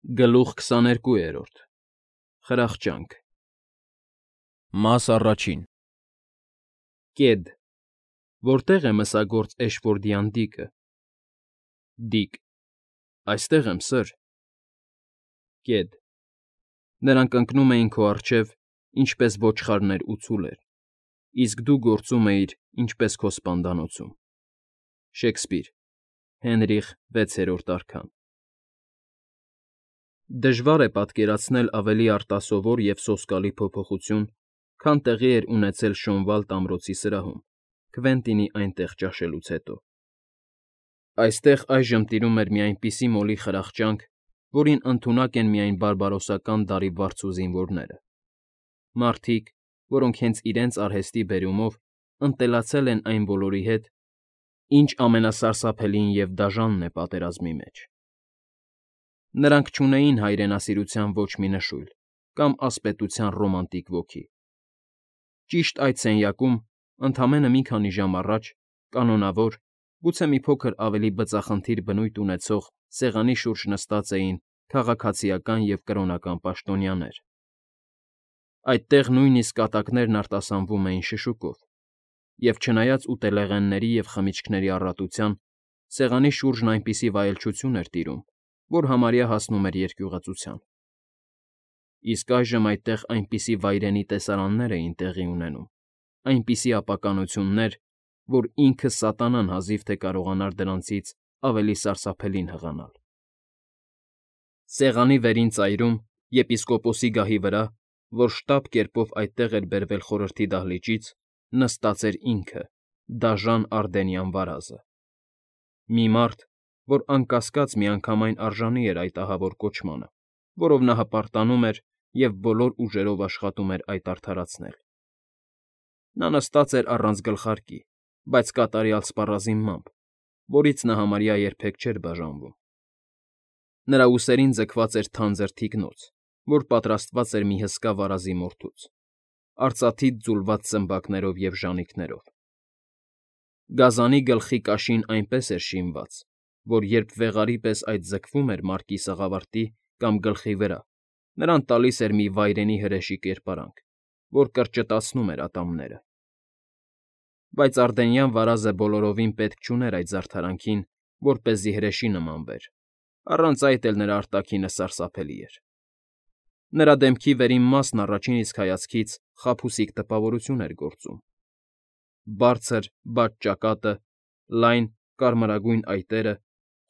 Գլուխ 22 Խրախճանք Մաս առաջին Կեդ Որտեղ է մսագործ Էշֆորդյան Դիկը։ Դիկ Այստեղ եմ, սըր։ Կեդ Նրանք ընկնում էին քո առջև, ինչպես ոչխարներ ու ցուլեր, իսկ դու գործում էիր, ինչպես քո սպանդանոցում։ Շեքսպիր Հենրիխ VI արքան Դժվար է պատկերացնել ավելի արտասովոր և սոսկալի փոփոխություն, քան տեղի էր ունեցել Շոնվալդ ամրոցի սրահում, Քվենտինի այնտեղ ճաշելուց հետո։ Այստեղ այժմ տիրում էր մի այնպիսի մոլի խրախճանք, որին ընդունակ են միայն բարբարոսական դարի վարձու զինվորները։ Մարդիկ, որոնք հենց իրենց արհեստի բերումով ընտելացել են այն բոլորի հետ, ինչ ամենասարսափելին և դաժանն է պատերազմի մեջ։ Նրանք չունեին հայրենասիրության ոչ մի նշույլ կամ ասպետության ռոմանտիկ ոգի։ Ճիշտ այդ սենյակում, ընդամենը մի քանի ժամ առաջ, կանոնավոր, գուցե մի փոքր ավելի բծախնդիր բնույթ ունեցող սեղանի շուրջ նստած էին քաղաքացիական և կրոնական պաշտոնյաներ։ Այդտեղ նույնիսկ կատակներն արտասանվում էին շշուկով, և չնայած ուտելեղենների և խմիչքների առատության, սեղանի շուրջն այնպիսի վայելչություն էր տիրում, որ համարյա հասնում էր երկյուղածության։ Իսկ այժմ այդտեղ այնպիսի վայրենի տեսարաններ էին տեղի ունենում, այնպիսի ապականություններ, որ ինքը սատանան հազիվ թե կարողանար դրանցից ավելի սարսափելին հղանալ։ Սեղանի վերին ծայրում, եպիսկոպոսի գահի վրա, որ շտապ կերպով այդտեղ էր բերվել խորհրդի դահլիճից, նստած էր ինքը՝ դաժան Արդենյան վարազը։ Մի մարդ, որ անկասկած միանգամայն արժանի էր այդ ահավոր կոչմանը, որով նա հպարտանում էր և բոլոր ուժերով աշխատում էր այդ արդարացնել։ Նա նստած էր առանց գլխարկի, բայց կատարյալ սպառազինմամբ, որից նա համարյա երբեք չէր բաժանվում։ Նրա ուսերին ձգված էր թանձր թիկնոց, որ պատրաստված էր մի հսկա վարազի մորթուց, արծաթից ձուլված ծմբակներով և ժանիքներով։ Գազանի գլխի կաշին այնպես էր շինված, որ երբ վեղարի պես այդ ձգվում էր մարկի սաղավարտի կամ գլխի վրա, նրան տալիս էր մի վայրենի հրեշի կերպարանք, որ կրճտացնում էր ատամները։ Բայց Արդենյան վարազը բոլորովին պետք չուներ այդ զարդարանքին, որպեսզի հրեշի նմանվեր, առանց այդ էլ նրա արտաքինը սարսափելի էր։ Նրա դեմքի վերին մասն առաջին իսկ հայացքից խաբուսիկ տպավորություն էր գործում։ Բարձր, բաց ճակատը, լայն, կարմրագույն այտերը,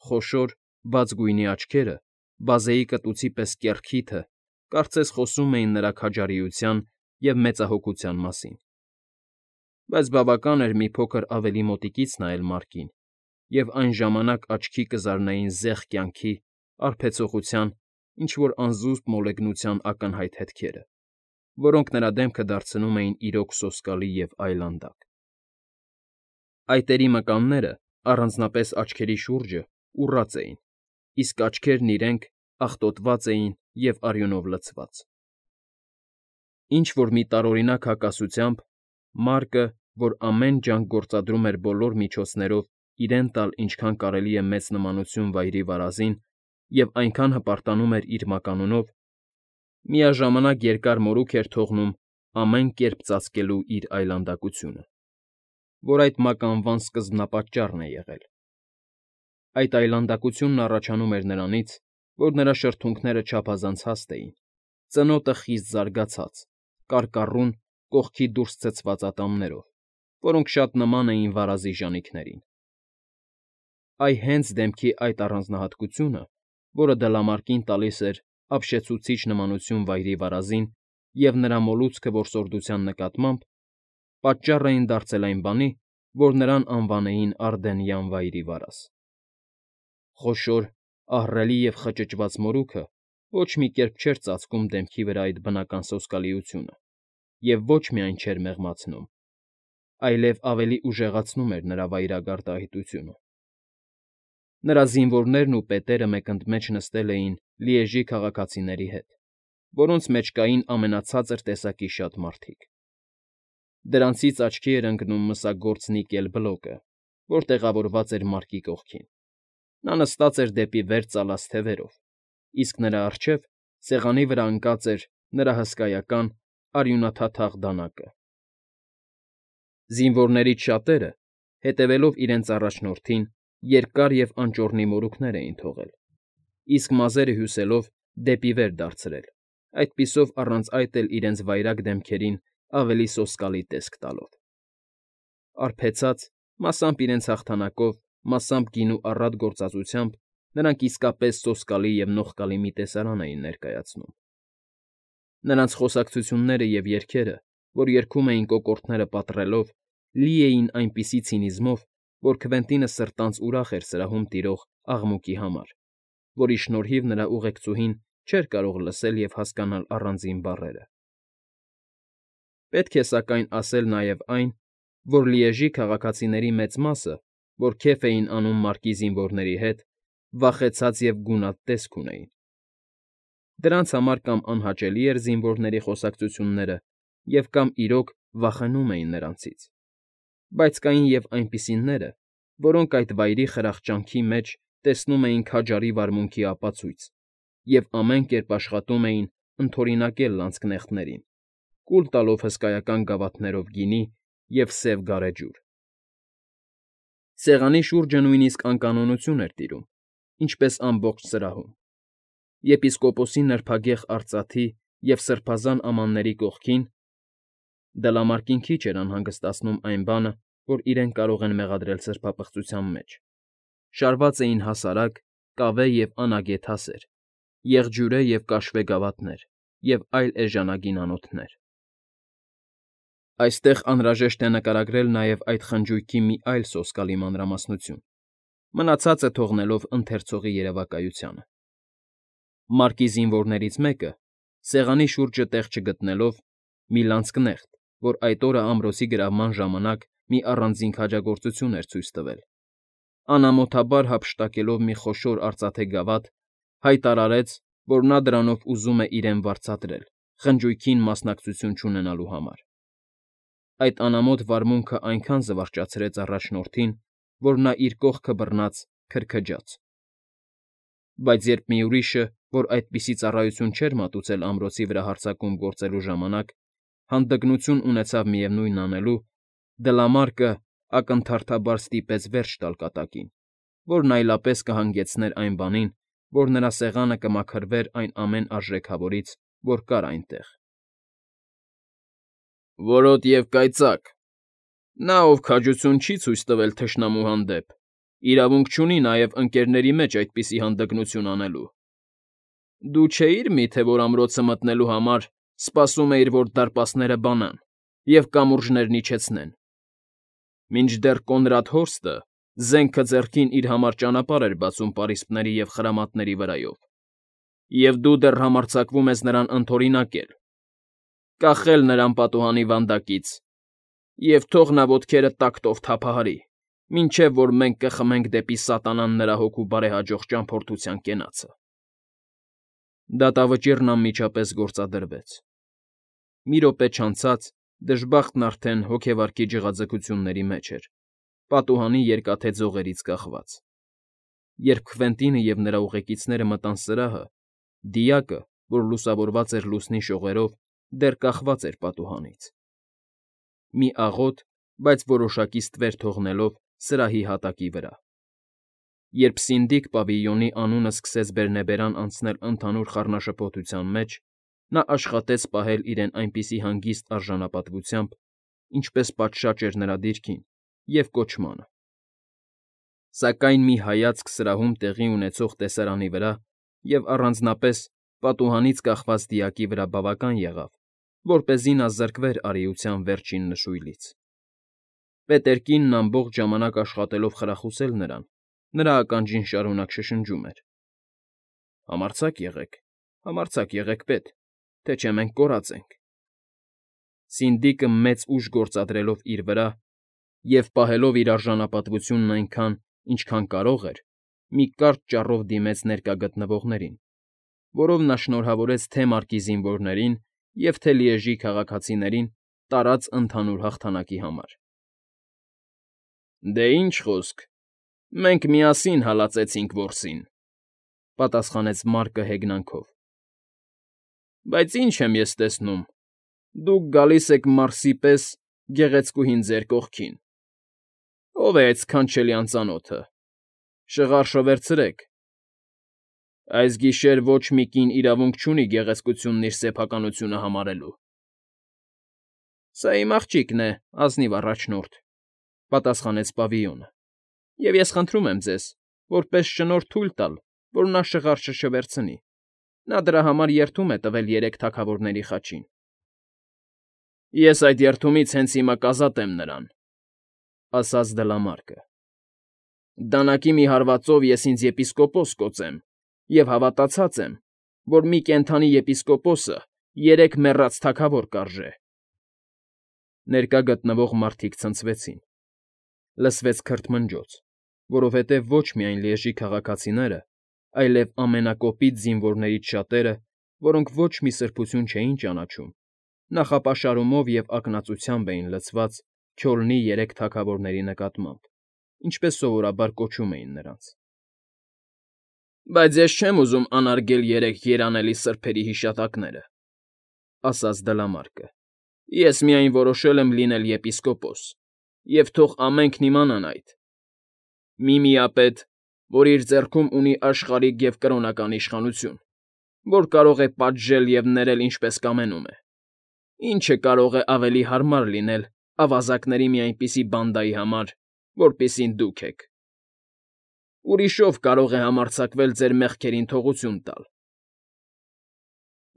խոշոր, բաց գույնի աչքերը, բազեի կտուցի պես կեռ քիթը կարծես խոսում էին նրա քաջարիության և մեծահոգության մասին։ Բայց բավական էր մի փոքր ավելի մոտիկից նայել Մարկին, և այն ժամանակ աչքի կզարնեին զեղ կյանքի, արբեցողության, ինչ֊որ անզուսպ մոլեգնության ակնհայտ հետքերը, որոնք նրա դեմքը դարձնում էին իրոք սոսկալի և այլանդակ։ Այտերի մկանները, առանձնապես աչքերի շուրջը, ուռած էին, իսկ աչքերն իրենք աղտոտված էին և արյունով լցված։ Ինչ֊որ մի տարօրինակ հակասությամբ Մարկը, որ ամեն ջանք գործադրում էր բոլոր միջոցներով իրեն տալ ինչքան կարելի է մեծ նմանություն վայրի վարազին և այնքան հպարտանում էր իր մականունով, միաժամանակ երկար մորուք էր թողնում ամեն կերպ ծածկելու իր այլանդակությունը, որ այդ մականվան սկզբնապատճառն է եղել։ Այդ այլանդակությունն առաջանում էր նրանից, որ նրա շրթունքները չափազանց հաստ էին, ծնոտը խիստ զարգացած, կարկառուն, կողքի դուրս ցցված ատամներով, որոնք շատ նման էին վարազի ժանիքներին։ Այ հենց դեմքի այդ առանձնահատկությունը, որը դլամարկին տալիս էր ապշեցուցիչ նմանություն վայրի վարազին և նրա մոլուցքը որսորդության նկատմամբ, պատճառ էին դարձել այն բանի, որ նրան անվանեին Արդենյան Վայրի Վարազ։ Խոշոր, ահռելի և խճճված մորուքը ոչ մի կերպ չէր ծածկում դեմքի վրա այդ բնական սոսկալիությունը և ոչ միայն չէր մեղմացնում, այլև ավելի ուժեղացնում էր նրա վայրագարդահայտությունը։ Նրա զինվորներն ու պետերը մեկընդմեջ նստել էին Լիեժի քաղաքացիների հետ, որոնց մեջ կային ամենացածր տեսակի շատ մարդիկ։ Դրանցից աչքի էր ընկնում մսագործ Նիկել Բլոկը, որ տեղավորված էր Մարկի կողքին։ Նա նստած էր դեպի վեր ծալած թևերով, իսկ նրա առջև սեղանի վրա ընկած էր նրա հսկայական արյունաթաթախ դանակը։ Զինվորներից շատերը, հետևելով իրենց առաջնորդին, երկար և անճոռնի մորուքներ էին թողել, իսկ մազերը հյուսելով դեպի վեր դարձրել, այդպիսով առանց այդ էլ իրենց վայրագ դեմքերին ավելի սոսկալի տեսք տալով։ Արբեցած, մասամբ իրենց հաղթանակով, մասամբ գինու առատ գործածությամբ, նրանք իսկապես սոսկալի և նողկալի մի տեսարան էին ներկայացնում։ Նրանց խոսակցությունները և երգերը, որ երգում էին կոկորդները պատռելով, լի էին այնպիսի ցինիզմով, որ Քվենտինը սրտանց ուրախ էր սրահում տիրող աղմուկի համար, որի շնորհիվ նրա ուղեկցուհին չէր կարող լսել և հասկանալ առանձին բառերը։ Պետք է սակայն ասել նաև այն, որ Լիեժի քաղաքացիների մեծ մասը, որ քեֆ էին անում մարկի զինվորների հետ, վախեցած և գունատ տեսք ունեին։ Դրանց համար կամ անհաճելի էր զինվորների խոսակցությունները և կամ իրոք վախենում էին նրանցից, բայց կային և այնպիսիները, որոնք այդ վայրի խրախճանքի մեջ տեսնում էին քաջարի վարմունքի ապացույց և ամեն կերպ աշխատում էին ընդօրինակել լանցքնեխտներին, կուլ տալով հսկայական գավաթներով գինի և սև գարեջուր։ Սեղանի շուրջը նույնիսկ անկանոնություն էր տիրում, ինչպես ամբողջ սրահում։ Եպիսկոպոսի նրբագեղ արծաթի և սրբազան ամանների կողքին (դլամարկին քիչ էր անհանգստացնում այն բանը, որ իրենք կարող են մեղադրել սրբապղծության մեջ) շարված էին հասարակ, կավե և անագետ հասեր, եղջյուրե և կաշվե գավաթներ և այլ էժանագին անոթներ։ Այստեղ անհրաժեշտ է նկարագրել նաև այդ խնջույքի մի այլ սոսկալի մանրամասնություն, մնացածը թողնելով ընթերցողի երևակայությանը։ Մարկի զինվորներից մեկը, սեղանի շուրջը տեղ չգտնելով, մի լանցկնեխտ, որ այդ օրը ամրոցի գրավման ժամանակ մի առանձին քաջագործություն էր ցույց տվել, անամոթաբար հափշտակելով մի խոշոր արծաթե գավաթ, հայտարարեց, որ նա դրանով ուզում է իրեն վարձատրել խնջույքին մասնակցություն չունենալու համար։ Այդ անամոթ վարմունքը այնքան զվարճացրեց առաջնորդին, որ նա իր կողքը բռնած քրքջաց։ Բայց երբ մի ուրիշը, որ այդպիսի ծառայություն չէր մատուցել ամրոցի վրա հարձակում գործելու ժամանակ, հանդգնություն ունեցավ միևնույնն անելու, Դլամարկը ակնթարթաբար ստիպեց վերջ տալ կատակին, որն այլապես կհանգեցներ այն բանին, որ նրա սեղանը կմաքրվեր այն ամեն արժեքավորից, որ կար այնտեղ։ Որոտ և կայծակ։ Նա, ով քաջություն չի ցույց տվել թշնամու հանդեպ, իրավունք չունի նաև ընկներների մեջ այդպիսի հանդգնություն անելու։ Դու չէի՞ր միթե, որ ամրոցը մտնելու համար սպասում էիր, որ դարպասները բանան և կամուրջներն իջեցնեն։ Մինչդեռ Կոնրադ Հորստը զենքը ձեռքին իր համար ճանապարհ էր բացում պարիսպների և խրամատների վրայով, և դու դեռ համարձակվում ես նրան ընդօրինակել, կախել նրան պատուհանի վանդակից, և թող նա ոտքերը տակտով թափահարի, մինչև որ մենք կխմենք դեպի սատանան նրա հոգու բարեհաջող ճամփորդության կենացը։ Դատավճիռն անմիջապես գործադրվեց։ Մի րոպե չանցած դժբախտն արդեն հոգեվարքի ջղաձգությունների մեջ էր, պատուհանի երկաթե ձողերից կախված։ Երբ Քվենտինը և նրա ուղեկիցները մտան սրահը, դիակը, որ լուսավորված էր լուսնի շողերով, դեռ կախված էր պատուհանից։ Մի աղոտ, բայց որոշակի ստվեր թողնելով սրահի հատակի վրա։ Երբ սինդիկ պավիլյոնի անունը սկսեց բերնեբերան անցնել ընդհանուր խառնաշփոթության մեջ, նա աշխատեց պահել իրեն այնպիսի հանգիստ արժանապատվությամբ, ինչպես պատշաճ էր նրա դիրքին և կոչմանը։ Սակայն մի հայացք սրահում տեղի ունեցող տեսարանի վրա և առանձնապես պատուհանից կախված դիակի վրա բավական եղավ, որպեսզի նա զրկվեր արիության վերջին նշույլից։ Պետերկինն ամբողջ ժամանակ աշխատելով խրախուսել նրան, նրա ականջին շարունակ շշնջում էր. Համարձակ եղեք, պետ, թե չէ մենք կորած ենք։ Սինդիկը մեծ ուժ գործադրելով իր վրա և պահելով իր արժանապատվությունն այնքան, ինչքան կարող էր, մի կարճ ճառով դիմեց ներկա գտնվողներին, որով նա շնորհավորեց թե՛ մարկի զինվորներին և թե՛ Լիեժի քաղաքացիներին տարած ընդհանուր հաղթանակի համար։ Դե ինչ խոսք, մենք միասին հալածեցինք որսին։ պատասխանեց Մարկը հեգնանքով։ Բայց ինչ եմ ես տեսնում. դուք գալիս եք մարսի պես գեղեցկուհին ձեր կողքին։ Ո՞վ է այդ սքանչելի անծանոթը։ Շղարշը վերցրեք։ Այս գիշեր ոչ մի կին իրավունք չունի գեղեցկությունն իր սեփականությունը համարելու։ Սա իմ աղջիկն է, ազնիվ առաջնորդ, պատասխանեց Պավիյոնը, և ես խնդրում եմ ձեզ, որպես շնորհ թույլ տալ, որ նա շղարշը չվերցնի. նա դրա համար երդում է տվել 3 թագավորների խաչին։ Ես այդ երդումից հենց հիմա կազատեմ նրան, ասաց Դլամարկը։ Դանակի մի հարվածով ես ինձ եպիսկոպոս կոծեմ, և հավատացած եմ, որ մի կենդանի եպիսկոպոսը 3 մեռած թագավոր կարժե։ Ներկա գտնվող մարդիկ ցնցվեցին։ Լսվեց քրթմնջոց, որովհետև ոչ միայն լիեժի քաղաքացիները, այլև ամենակոպիտ զինվորներից շատերը, որոնք ոչ մի սրբություն չէին ճանաչում, նախապաշարումով և ակնածությամբ էին լցված Քյոլնի 3 թագավորների նկատմամբ, ինչպես սովորաբար կոչում էին նրանց։ Բայց ես չեմ ուզում անարգել 3 երանելի սրբերի հիշատակները, ասաց Դլամարկը։ Ես միայն որոշել եմ լինել եպիսկոպոս, և թող ամենքն իմանան այդ։ Մի միապետ, որ իր ձեռքում ունի աշխարհիկ և կրոնական իշխանություն, որ կարող է պատժել և ներել ինչպես կամենում է։ Ինչը կարող է ավելի հարմար լինել ավազակների մի այնպիսի բանդայի համար, որպիսին դուք եք։ Ուրիշով կարող է համարձակվել ձեր մեղքերին թողություն տալ։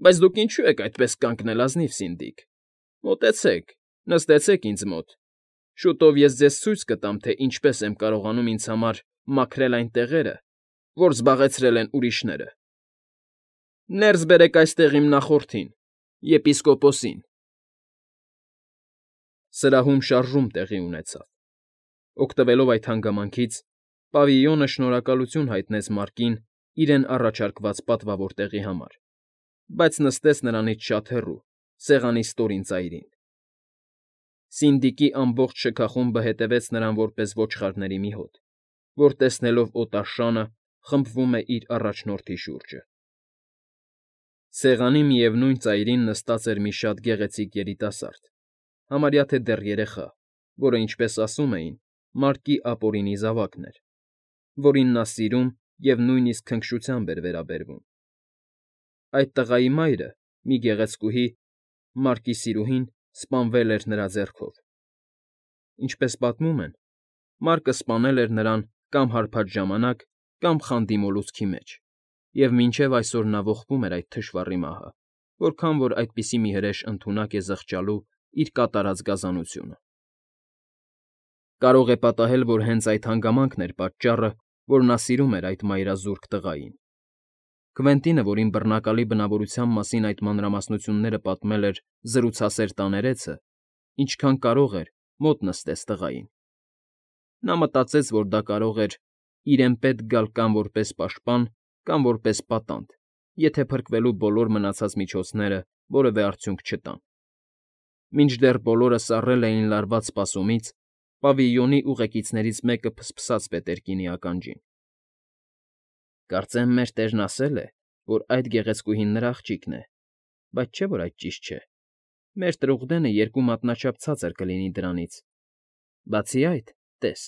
Բայց դուք ինչու եք այդպես կանգնել, ազնիվ սինդիկ։ Մոտեցեք, նստեցեք ինձ մոտ, շուտով ես ձեզ ցույց կտամ, թե ինչպես եմ կարողանում ինձ համար մաքրել այն տեղերը, որ զբաղեցրել են ուրիշները։ Ներս բերեք այստեղ իմ նախորդին, եպիսկոպոսին։ Սրահում շարժում տեղի ունեցավ։ Օգտվելով այդ հանգամանքից, Պավիյոնը շնորհակալություն հայտնեց Մարկին իրեն առաջարկված պատվավոր տեղի համար, բայց նստեց նրանից շատ հեռու, սեղանի ստորին ծայրին։ Սինդիկի ամբողջ շքախումբը հետևեց նրան որպես ոչխարների մի հոտ, որ տեսնելով օտար շանը խմբվում է իր առաջնորդի շուրջը։ Սեղանի միևնույն ծայրին նստած էր մի շատ գեղեցիկ երիտասարդ, համարյա թե դեռ երեխա, որը, ինչպես ասում էին, Մարկի ապօրինի զավակն էր, որին նա սիրում և նույնիսկ քնքշությամբ էր վերաբերվում։ Այդ տղայի մայրը, մի գեղեցկուհի, Մարկի սիրուհին, սպանվել էր նրա ձեռքով։ Ինչպես պատմում են, Մարկը սպանել էր նրան կամ հարբած ժամանակ, կամ խանդի մոլուցքի մեջ, և մինչև այսօր նա ողբում էր այդ թշվառի մահը, որքան որ այդպիսի մի հրեշ ընդունակ է զղջալու իր կատարած գազանությունը։ Կարող է պատահել, որ հենց այդ հանգամանքն էր պատճառը, որ նա սիրում էր այդ մայրազուրկ տղային։ Քվենտինը, որին բռնակալի բնավորության մասին այդ մանրամասնությունները պատմել էր զրուցասեր տաներեցը, ինչքան կարող էր, մոտ նստեց տղային։ Նա մտածեց, որ դա կարող էր իրեն պետք գալ կամ որպես պաշտպան, կամ որպես պատանդ, եթե փրկվելու բոլոր մնացած միջոցները որևէ արդյունք չտան։ Մինչդեռ բոլորը սառել էին լարված սպասումից, Պավիյոնի ուղեկիցներից մեկը փսփսաց Պետերկինի ականջին։ Կարծեմ մեր տերն ասել է, որ այդ գեղեցկուհին նրա աղջիկն է, բայց չէ՞ որ այդ ճիշտ չէ։ Մեր տրուղդենը 2 մատնաչափ ցածր կլինի դրանից։ Բացի այդ, տես,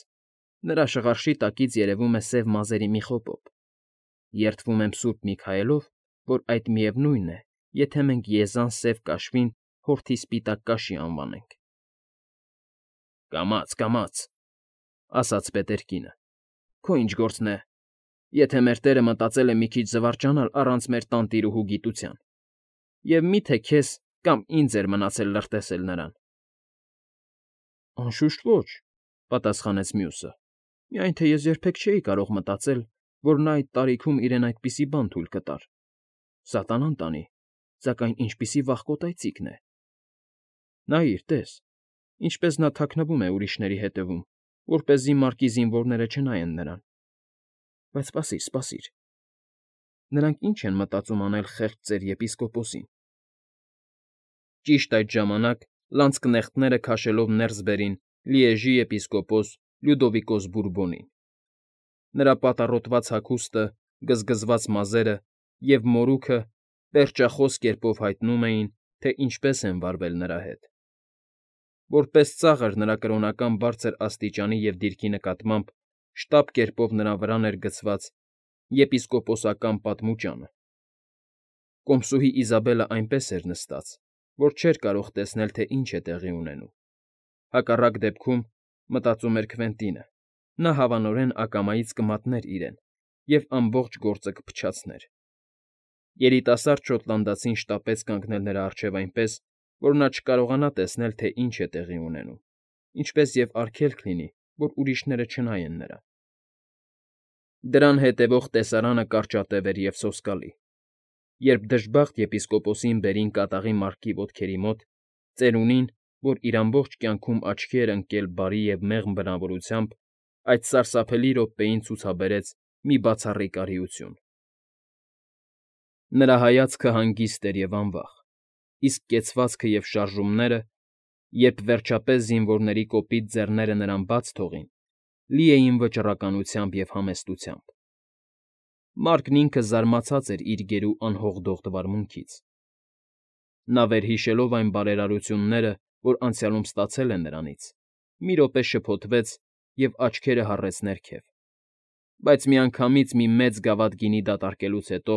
նրա շղարշի տակից երևում է սև մազերի մի խոպոպ։ Երդվում եմ Սուրբ Միքայելով, որ այդ միևնույնն է, եթե մենք եզան սև կաշվին հորթի սպիտակ կաշի անվանենք։ Կամաց, կամաց, ասաց Պետերկինը։ Քո ինչ գործն է, եթե մեր տերը մտածել է մի քիչ զվարճանալ առանց մեր տանտիրուհու գիտության։ Եվ մի՞թե քեզ կամ ինձ էր մնացել լրտեսել նրան։ Անշուշտ ոչ, պատասխանեց մյուսը։ Միայն թե ես երբեք չէի կարող մտածել, որ նա այդ տարիքում իրեն այդպիսի բան թույլ կտար։ Սատանան տանի, սակայն ինչպիսի վախկոտ այծիկն է։ Նայիր, տես, ինչպես նա թաքնվում է ուրիշների հետևում, որպեսզի Մարկի զինվորները չնայեն նրան։ Բայց սպասիր, սպասիր։ Նրանք ինչ են մտածում անել խեղճ ծեր եպիսկոպոսին։ Ճիշտ այդ ժամանակ լանցկնեխտները քաշելով ներս բերին Լիեժի եպիսկոպոս Լյուդովիկոս Բուրբոնին։ Նրա պատառոտված հագուստը գզգզված մազերը և մորուքը պերճախոս կերպով հայտնում էին, թե ինչպես են վարվել նրա հետ։ Որպես ծաղր նրա կրոնական բարձր աստիճանի և դիրքի նկատմամբ շտապ կերպով նրա վրան էր գցված եպիսկոպոսական պատմուճանը։ Կոմսուհի Իզաբելը այնպես էր նստած, որ չէր կարող տեսնել, թե ինչ է տեղի ունենում։ Հակառակ դեպքում, մտածում էր Քվենտինը, նա հավանորեն ակամայից կմատներ իրեն և ամբողջ գործը կփչացներ։ Երիտասարդ շոտլանդացին շտապեց կանգնել նրա առջև այնպես, որ նա չկարողանա տեսնել, թե ինչ է տեղի ունենում, ինչպես և արգելք լինի, որ ուրիշները չնայեն նրան։ Դրան հետևող տեսարանը կարճատև էր և սոսկալի։ Երբ դժբախտ եպիսկոպոսին բերին կատաղի մարտի ոտքերի մոտ, ծերունին, որ իր ամբողջ կյանքում աչքի էր ընկել բարի և մեղմ բնավորությամբ, այդ սարսափելի րոպեին ցուցաբերեց մի բացառիկ արիություն։ Նրա հայացքը հանգիստ էր և անվախ, իսկ կեցվածքը և շարժումները, երբ վերջապես զինվորների կոպիտ ձեռները նրան բաց թողին, լի էին վճռականությամբ և համեստությամբ։ Մարկն ինքը զարմացած էր իր գերու անհողդող վարմունքից։ Նա վերհիշելով այն բարերարությունները, որ անցյալում ստացել է նրանից, մի րոպե շփոթվեց և աչքերը հառեց ներքև, բայց միանգամից մի մեծ գավաթ գինի դատարկելուց հետո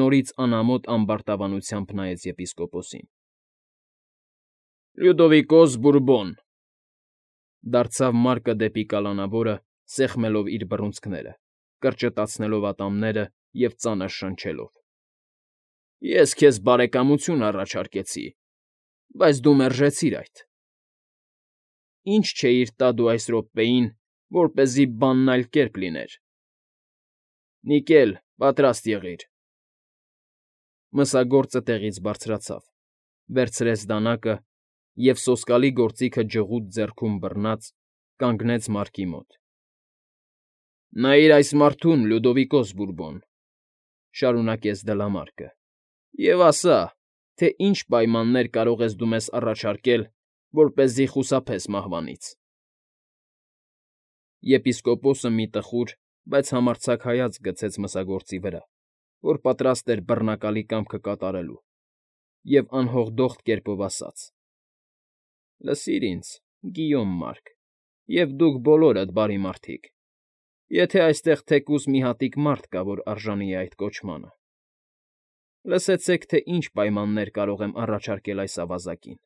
նորից անամոթ ամբարտավանությամբ նայեց եպիսկոպոսին։ ֊ Լյուդովիկոս Բուրբոն,֊ դարձավ Մարկը դեպի կալանավորը, սեղմելով իր բռունցքները, կրճտացնելով ատամները և ծանր շնչելով,֊ ես քեզ բարեկամություն առաջարկեցի, բայց դու մերժեցիր այդ։ Ի՞նչ չէիր տա դու այս րոպեին, որպեսզի բանն այլ կերպ լիներ։ Նիկել, պատրաստ եղիր։ Մսագործը տեղից բարձրացավ, վերցրեց դանակը և, սոսկալի գործիքը ջղուտ ձեռքում բռնած, կանգնեց Մարկի մոտ։ ֊ Նայիր այս մարդուն, Լյուդովիկոս Բուրբոն,֊ շարունակեց Դլամարկը,֊ և ասա, թե ինչ պայմաններ կարող ես դու մեզ առաջարկել, որպեսզի խուսափես մահվանից։ Եպիսկոպոսը մի տխուր, բայց համարձակ հայացք գցեց մսագործի վրա, որ պատրաստ էր բռնակալի կամքը կատարելու, և անհողդողդ կերպով ասաց. ֊ Լսիր ինձ, Գիյոմ Մարկ, և դուք բոլորդ, բարի մարդիկ, եթե այստեղ թեկուզ մի հատիկ մարդ կա, որ արժանի է այդ կոչմանը, լսեցեք, թե ինչ պայմաններ կարող եմ առաջարկել այս ավազակին։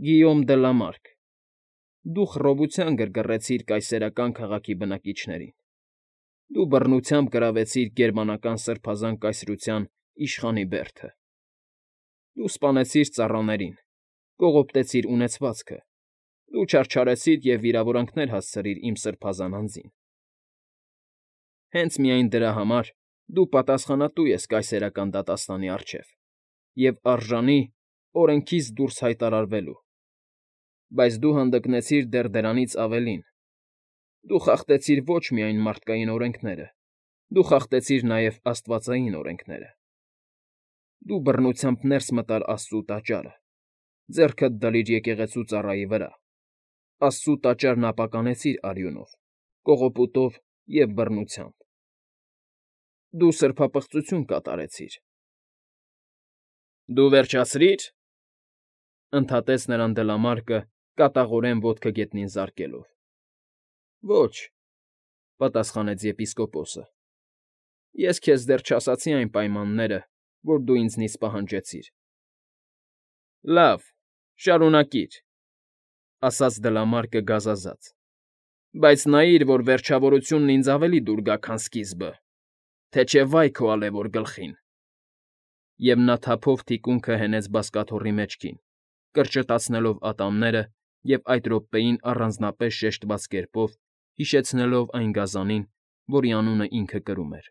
Գիյոմ դը Լամարկ, դու խռովության գրգռեցիր կայսերական քաղաքի բնակիչներին, դու բռնությամբ գրավեցիր գերմանական սրբազան կայսրության իշխանի բերդը, դու սպանեցիր ծառաներին, կողոպտեցիր ունեցվածքը, դու չարչարեցիր և վիրավորանքներ հասցրիր իմ սրբազան անձին։ Հենց միայն դրա համար դու պատասխանատու ես կայսերական դատաստանի առջև և արժանի օրենքից դուրս հայտարարվելու, բայց դու հանդգնեցիր դեռ դրանից ավելին. դու խախտեցիր ոչ միայն մարդկային օրենքները, դու խախտեցիր նաև աստվածային օրենքները։ Դու բռնությամբ ներս մտար Աստծու տաճարը, ձեռքդ դլիր եկեղեցու ծառայի վրա, Աստծու տաճարն ապականեցիր արյունով, կողոպուտով և բռնությամբ։ Դու սրբապղծություն կատարեցիր։ ֊ Դու վերջացրի՞ր,֊ ընդհատեց նրան Դլամարկը, կատաղորեն ոտքը գետնին զարկելով։ ֊ Ոչ,֊ պատասխանեց եպիսկոպոսը,֊ ես քեզ դեռ չասացի այն պայմանները, որ դու ինձնից պահանջեցիր։ ֊ Լավ, շարունակիր,֊ ասաց Դլամարկը գազազած,֊ բայց նայիր, որ վերջավորությունն ինձ ավելի դուր գա, քան սկիզբը, թե չէ վայ քո ալևոր գլխին։ Եվ նա թափով թիկունքը հենեց բազկաթոռի մեջքին, կրճտացնելով ատամները և այդ րոպեին առանձնապես շեշտված կերպով հիշեցնելով այն գազանին, որի անունը ինքը կրում էր։